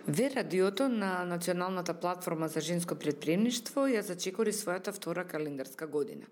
Ве радиото на Националната платформа за женско претприемништво ја зачекори својата втора календарска година.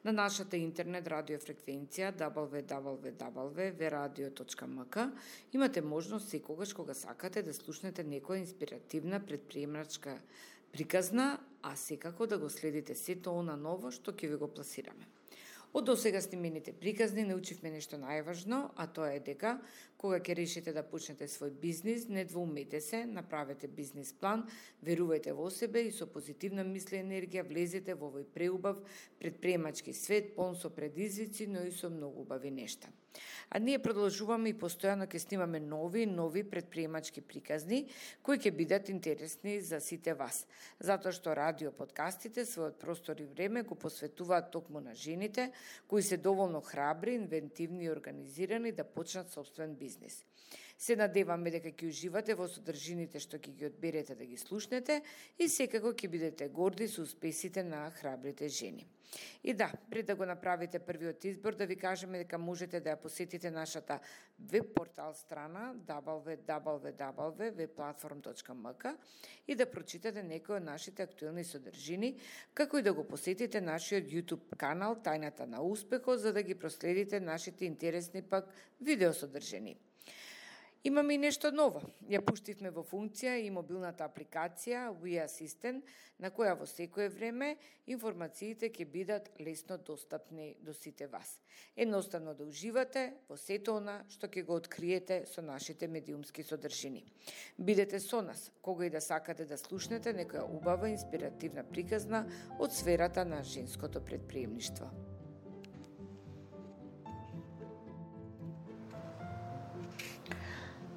На нашата интернет радиофреквенција www.veradio.mk имате можност секогаш кога сакате да слушнете некоја инспиративна претприемачка приказна, а секако да го следите сето она ново што ќе ви го пласираме. Од досега снимените приказни научивме нешто најважно, а тоа е дека кога ќе решите да почнете свој бизнис, не двоумете се, направете бизнис план, верувајте во себе и со позитивна мисла и енергија влезете во овој преубав претприемачки свет, полн со предизвици, но и со многу убави нешта. А ние продолжуваме и постојано ќе снимаме нови претприемачки приказни, кои ќе бидат интересни за сите вас. Затоа што радио подкастите својот простор и време го посветуваат токму на жените, кои се доволно храбри, инвентивни и организирани да почнат собствен бизнис. Се надеваме дека ќе уживате во содржините што ќе ги одберете да ги слушнете и секако ќе бидете горди со успесите на храбрите жени. И да, пред да го направите првиот избор, да ви кажеме дека можете да ја посетите нашата веб-портал страна www.webplatform.mk и да прочитате некои од нашите актуелни содржини, како и да го посетите нашиот YouTube канал Тајната на успехот, за да ги проследите нашите интересни пак видеосодржини. Имаме и нешто ново. Ја пуштивме во функција и мобилната апликација We Assistant, на која во секое време информациите ќе бидат лесно достапни до сите вас. Едноставно да уживате во сето она што ќе го откриете со нашите медиумски содржини. Бидете со нас, кога и да сакате да слушнете некоја убава инспиративна приказна од сферата на женското претприемништво.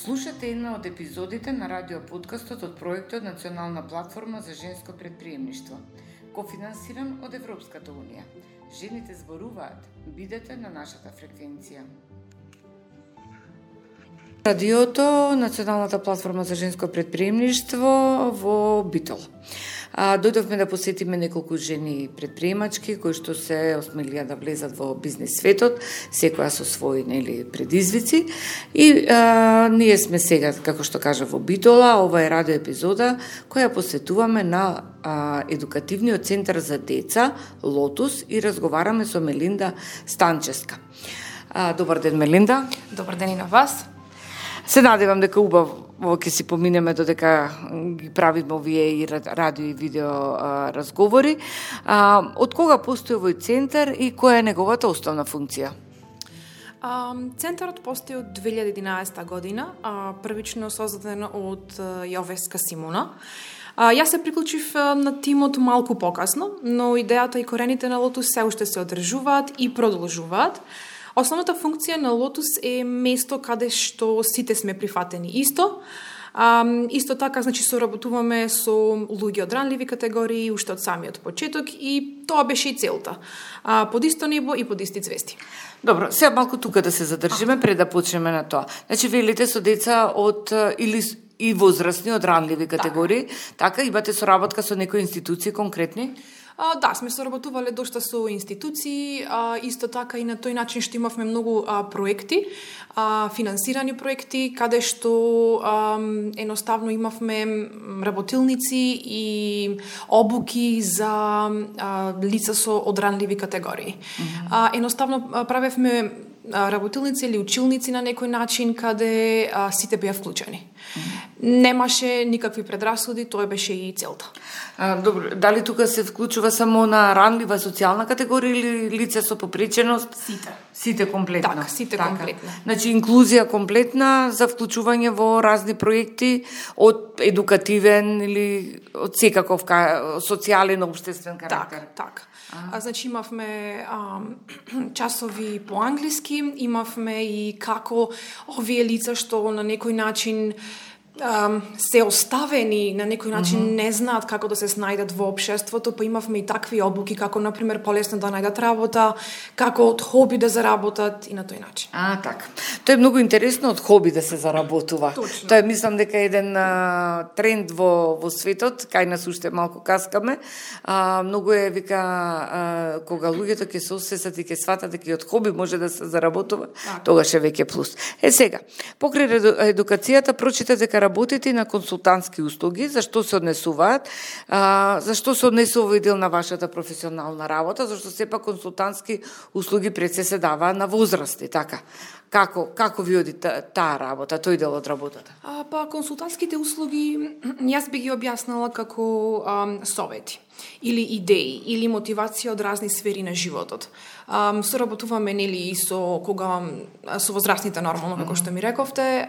Слушате една од епизодите на радиоподкастот од проектот Национална платформа за женско претприемништво, кофинансиран од Европската унија. Жените зборуваат, бидете на нашата фреквенција. Радиото Националната платформа за женско претприемништво во Битол. Дојдовме да посетиме неколку жени предприемачки кои што се осмелија да влезат во бизнес светот, секоја со своји предизвици. И ние сме сега, како што кажа, во Битола. Ова е радио епизода која посветуваме на едукативниот центар за деца Лотус и разговараме со Мелинда Станчевска. Добар ден, Мелинда. Добар ден и на вас. Се надевам дека убаво ќе си поминеме додека ги правиме овие и радио и видео разговори. Од кога постои овој центар и која е неговата основна функција? Центарот постои од 2011 година, првично создаден од Јовеска Симона. Јас се приклучив на тимот малку покасно, но идејата и корените на Лотус се уште се одржуваат и продолжуваат. Основната функција на Лотус е место каде што сите сме прифатени исто. Исто така, значи, соработуваме со луѓе од ранливи категории уште од самиот почеток и тоа беше и целта. Под исто небо и под исти звезди. Добро, сега малку тука да се задржиме пред да почнеме на тоа. Значи, велите со деца од или и возрастни од ранливи категории, така имате соработка со некои институции конкретни? Да, сме соработувале дошта со институции, исто така и на тој начин што имавме многу проекти, финансирани проекти, каде што едноставно имавме работилници и обуки за лица со одранливи категории. Едноставно правевме работилници или училници на некој начин каде сите беа вклучени. Немаше никакви предрасуди, тоа беше и целта. Добро, дали тука се вклучува само на ранлива социјална категорија или лица со попреченост? Сите комплетно. Так, сите комплетно. Значи инклузија комплетна за вклучување во разни проекти од едукативен или од секаков социјален општествен карактер. Так. Значи имавме часови по англиски, имавме и како овие лица што на некој начин се оставени, на некој начин не знаат како да се снајдат во општеството, па имавме и такви обуки, како, например, полесно да најдат работа, како од хоби да заработат и на тој начин. Така. Тоа е многу интересно од хоби да се заработува. Точно. Тоа е, мислам дека е еден тренд во светот, кај нас уште малку каскаме. Многу е, вика, кога луѓето ќе се освесат и ќе сватат дека од хоби може да се заработува, тогаш е веќе плюс. Сега, покрај едукацијата, прочитате дека работите на консултантски услуги, зашто се однесуваат, зашто се однесува дел на вашата професионална работа, зашто сепак консултантски услуги пред се даваа на возрасти, така. Како ви оди таа работа, тој дел од работата? Консултантските услуги, јас би ги објаснала како совети или идеи, или мотивација од разни сфери на животот. Соработуваме и со возрастните нормално, како што ми рековте,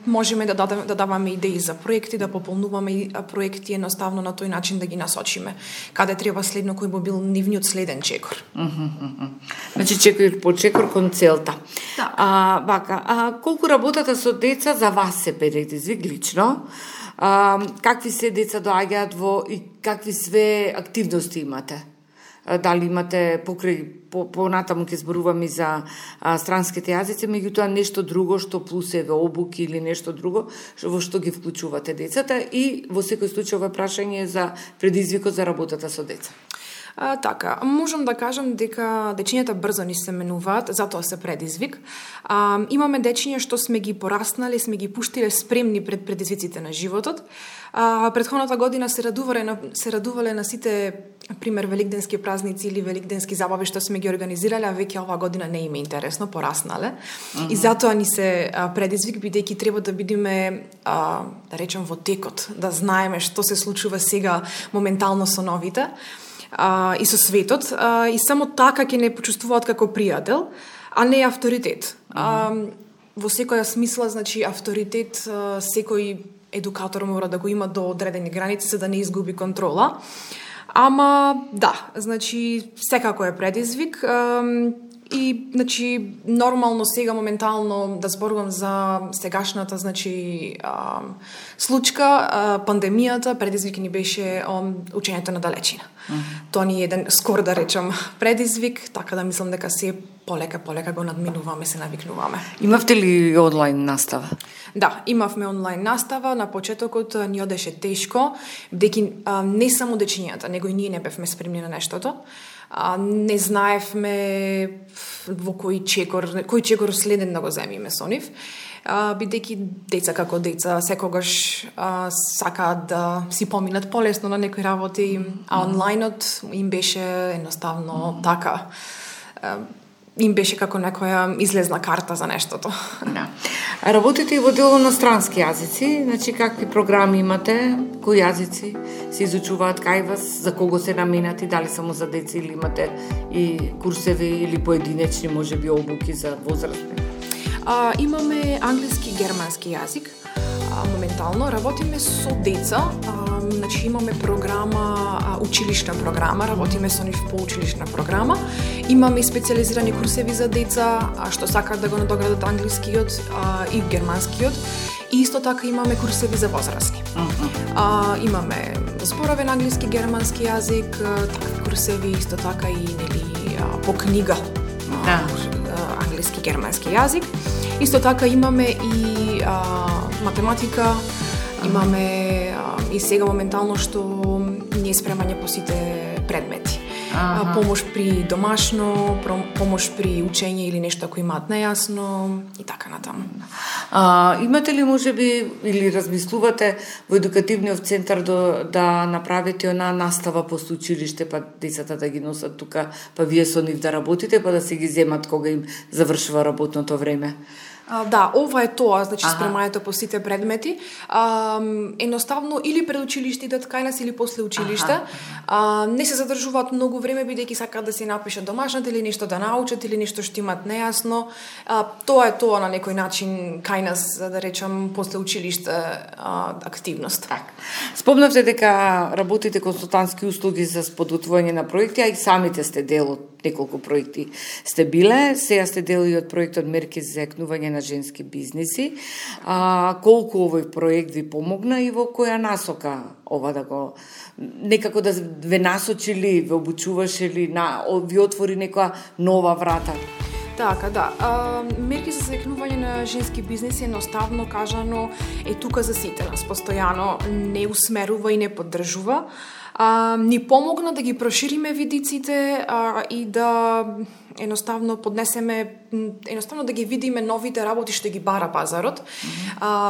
можеме да даваме идеи за проекти, да пополнуваме проекти едноставно на тој начин да ги насочиме. Каде треба следно, кој би бил нивниот следен чекор. Значи чекор по чекор кон целта. Да. Колку работата со деца за вас се предизвик лично? Какви се деца доаѓаат во и какви све активности имате? Дали имате понатаму ќе зборуваме за странските јазици, меѓутоа нешто друго што плюс еве обуки или нешто друго во што ги вклучувате децата и во секој случај ова прашање за предизвикот за работата со деца. Така, можам да кажам дека дечињата брзо ни се менуваат, затоа се предизвик. Имаме дечиња што сме ги пораснали, сме ги пуштиле спремни пред предизвиците на животот. Претходната година се радувале на сите, пример, великденски празници или великденски забави што сме ги организирале, а веќе оваа година не им е интересно, пораснале. И затоа ни се предизвик, бидејќи треба да бидеме, да речем, во текот, да знаеме што се случува сега моментално со новите. И со светот, и само така ќе не почувствуваат како пријател, а не авторитет. Во секоја смисла, значи, авторитет секој едукатор мора да го има до одредени граници за да не изгуби контрола. Ама, да, значи, секако е предизвик. И, значи, нормално сега, моментално, да зборувам за сегашната, значи, случка, пандемијата, предизвик ни беше учењето на далечина. Тоа ни е еден скор, да речам, предизвик, така да мислам дека се полека го надминуваме, се навикнуваме. Имавте ли онлайн настава? Да, имавме онлайн настава. На почетокот ни одеше тешко, бидејќи не само дечињата, него и ние не бевме спремни на нештото. Не знаевме во кој чекор следен да го земиме со нив, бидејќи деца како деца секогаш сакаат да си поминат полесно на некои работи, а онлајнот им беше едноставно така, им беше како некоја излезна карта за нештото. Да. Работите и во дело на странски јазици, значи какви програми имате, кои јазици се изучуваат кај вас, за кого се наменати, дали само за деца или имате и курсеви или поединечни можеби обуки за возрастни? Имаме англиски, германски јазик. Моментално работиме со деца, значи имаме програма, училишна програма, работиме со нив по училишна програма. Имаме и специализирани курсеви за деца што сакаат да го надоградат англискиот и германскиот. И исто така имаме курсеви за возрастни. Имаме зборовен англиски, германски јазик, такви курсеви исто така и по книга. Англиски, германски јазик. Исто така имаме и математика, имаме и сега моментално што не е спремање по сите предмети. Помош при домашно, помош при учење или нешто ако имаат нејасно и така натаму. Имате ли можеби или размислувате во едукативниот центар да направите она настава после училиште, па децата да ги носат тука, па вие со нив да работите, па да се ги земат кога им завршува работното време? Да, ова е тоа, значи спремањето по сите предмети. Едноставно или пред училиште идат кај нас или после училиште. Не се задржуваат многу време бидејќи сакаат да се напишат домашната или нешто да научат или нешто што имаат нејасно. Тоа е тоа на некој начин кај нас, да речам, после училиште активност. Спомнавте дека работите консултантски услуги за подготвување на проекти, а и самите сте дел од неколку проекти сте биле. Сега сте дел и од проектот Мерки за екнување на женски бизниси. Колку овој проект ви помогна и во која насока ова да го некако да ве насочили, ве обучуваше ли, ви отвори некоја нова врата? Така, да. Мерки за заекнување на женски бизниси едноставно кажано е тука за сите нас. Постојано не усмерува и не поддржува. ни помогна да ги прошириме видиците и да едноставно да ги видиме новите работи што ги бара пазарот.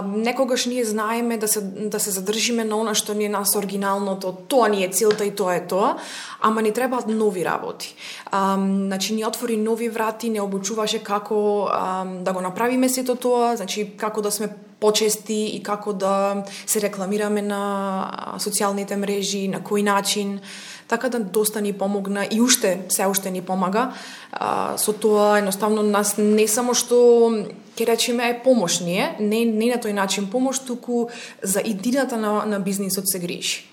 Некогаш ние знаеме да се задржиме на она што ни е нас оригиналното, тоа ни е целта и тоа е тоа, ама ни требаат нови работи. Значи ни отвори нови врати, не обучуваше како да го направиме сето тоа, значи како да сме почести и како да се рекламираме на социјалните мрежи, на кој начин. Така да доста ни помогна и се уште ни помага. Со тоа едноставно нас не само што ќе речеме е помош не на тој начин помош, туку за идината на бизнисот се грижи.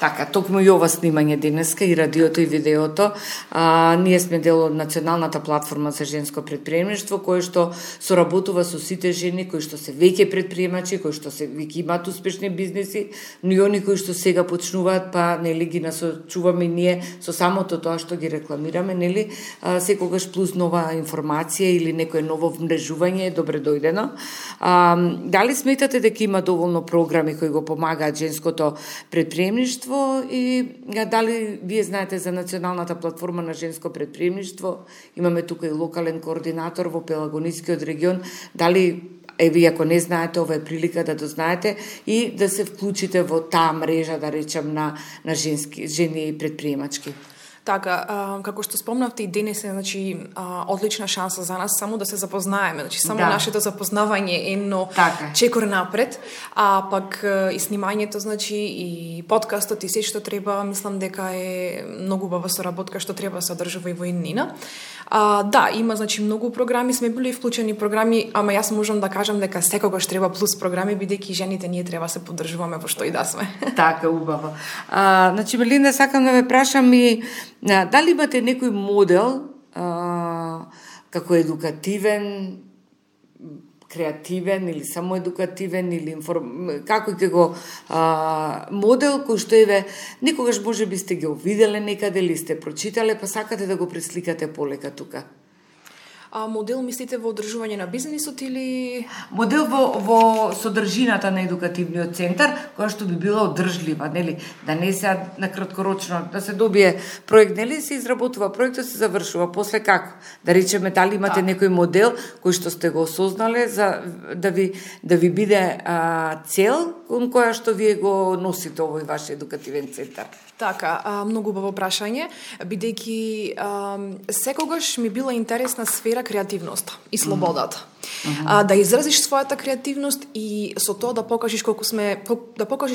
Така, токму и ова снимање денеска, и радиото, и видеото, ние сме дел од Националната платформа за женско предприемништво, кој што соработува со сите жени кои што се веќе предприемачи, кои што се веќе имаат успешни бизниси, но и они кои што сега почнуваат, па нели ги насочуваме ние со самото тоа што ги рекламираме, нели, секогаш плюс нова информација или некое ново вмрежување е добре дојдено. Дали сметате дека има доволно програми кои го помагаат женското предприемништво и дали вие знаете за Националната платформа на женско предприемништво? Имаме тука и локален координатор во Пелагонискиот регион. Дали вие ако не знаете, ова е прилика да дознаете и да се вклучите во таа мрежа, да речем, на жени предприемачки? Така, како што спомнавте и денес е, значи, одлична шанса за нас само да се запознаеме. Значи, само нашето запознавање е едно чекор напред, а пак и снимањето, значи, и подкастот и се што треба, мислам дека е многу убава соработка што треба се одржува и во иднина. Да, има, значи, многу програми, сме били вклучени програми, ама јас можам да кажам дека секогаш треба плюс програми, бидејќи жените ние треба се поддржуваме во што и да сме. Така, убаво. Значи, Мелинда, сакам да ве прашам и дали имате некој модел како едукативен, креативен или само едукативен или како ќе го модел кој што некогаш може би сте ги виделе некаде или сте прочитале, па сакате да го пресликате полека тука? Модел мислите во одржување на бизнисот или модел во содржината на едукативниот центар, која што би била одржлива, нели, да не се на краткорочно да се добие проект, нели, се изработува проектот, се завршува, после како? Да речеме, дали имате некој модел кој што сте го осознале за да ви биде цел кон која што вие го носите овој ваш едукативен центар? Така, многу убаво прашање, бидејќи секогаш ми била интересна сфера креативноста и слободата. Да изразиш својата креативност и со тоа да покажеш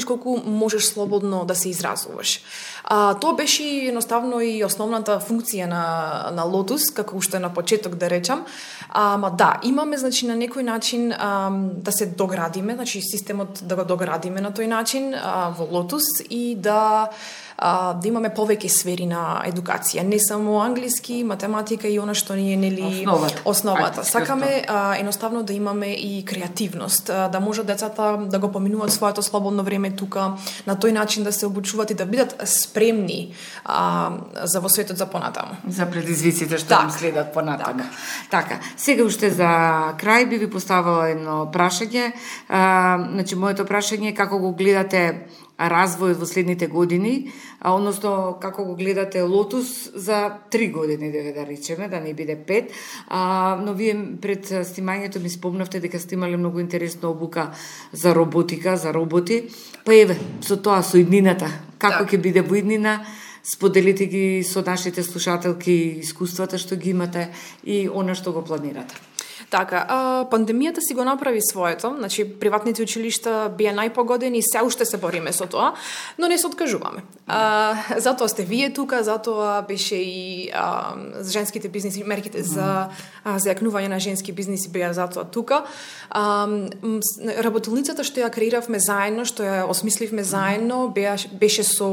колку можеш слободно да се изразуваш. Тоа беше едноставно и основната функција на Lotus, како уште на почеток да речам. Ама да, имаме, значи, на некој начин да се доградиме, значи системот да го доградиме на тој начин во Lotus и да имаме повеќе сфери на едукација, не само англиски, математика и она што ни е, нели, основата. Сакаме едноставно да имаме и креативност, да може децата да го поминуваат своето слободно време тука, на тој начин да се обучуваат и да бидат спремни за во светот за понатаму. За предизвиците што им следат понатаму. Така, сега уште за крај би ви поставила едно прашање. Значи, моето прашање е како го гледате развојот во следните години, односно како го гледате Lotus за 3 години, да речеме, да не биде 5. Но вие пред снимањето ми спомнавте дека сте имале многу интересна обука за роботика, за роботи. Па со тоа, со иднината, како ќе биде во иднина, споделите ги со нашите слушателки искуствата што ги имате и она што го планирате. Така, пандемијата си го направи своето, значи приватните училишта бија најпогодени и се уште се бориме со тоа, но не се откажуваме. Затоа сте вие тука, затоа беше и женските бизниси, мерките за зајакнување на женски бизниси беа затоа тука. Работилницата што ја креиравме заедно, што ја осмисливме заедно, беше со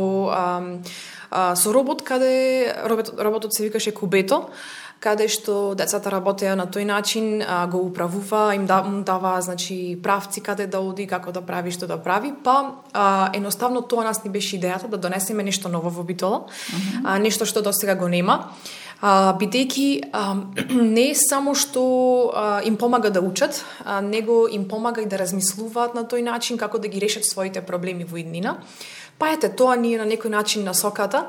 робот, каде роботот се викаше Кубето, каде што децата работеа на тој начин, го управува, им дава, значи, правци каде да оди, како да прави, што да прави, па едноставно тоа нас ни беше идејата да донесеме нешто ново во Битола, нешто што досега го нема. Бидејќи не само што им помага да учат, него им помага и да размислуваат на тој начин како да ги решат своите проблеми во иднина. Па ете, тоа ни е на некој начин насоката,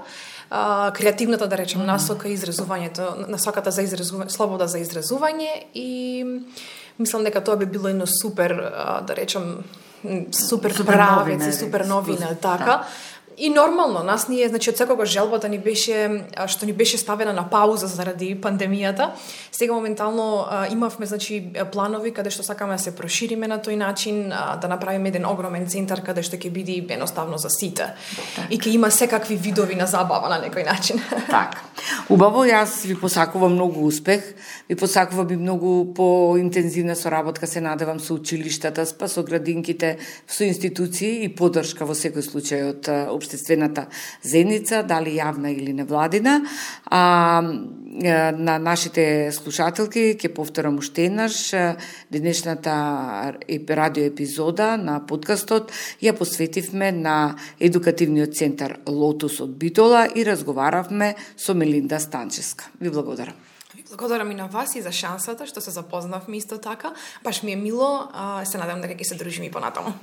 креативната, да речем, насока и изразувањето, насоката за слобода за изразување, и мислам дека тоа би било едно супер, да речем, супер правец и супер новина, така. И нормално, нас ние, значи, од секогаш желбата ни беше, што ни беше ставена на пауза заради пандемијата. Сега моментално имавме, значи, планови каде што сакаме да се прошириме на тој начин, да направиме еден огромен центар каде што ќе биде едноставно за сите. И ќе има секакви видови на забава на некој начин. Така. Убаво, јас ви посакувам многу успех, ви посакувам и многу поинтензивна соработка, се надевам, со училиштата, со градинките, со институции и поддршка во секој случај од општествената заедница, дали јавна или невладина. На нашите слушателки ќе повторам уште еднаш, денешната радио епизода на подкастот ја посветивме на едукативниот центар Лотус од Битола и разговаравме со Мелинда Станчевска. Ви благодарам. Благодарам и на вас и за шансата што се запознавме исто така. Баш ми е мило, се надам дека ќе се дружиме и понатаму.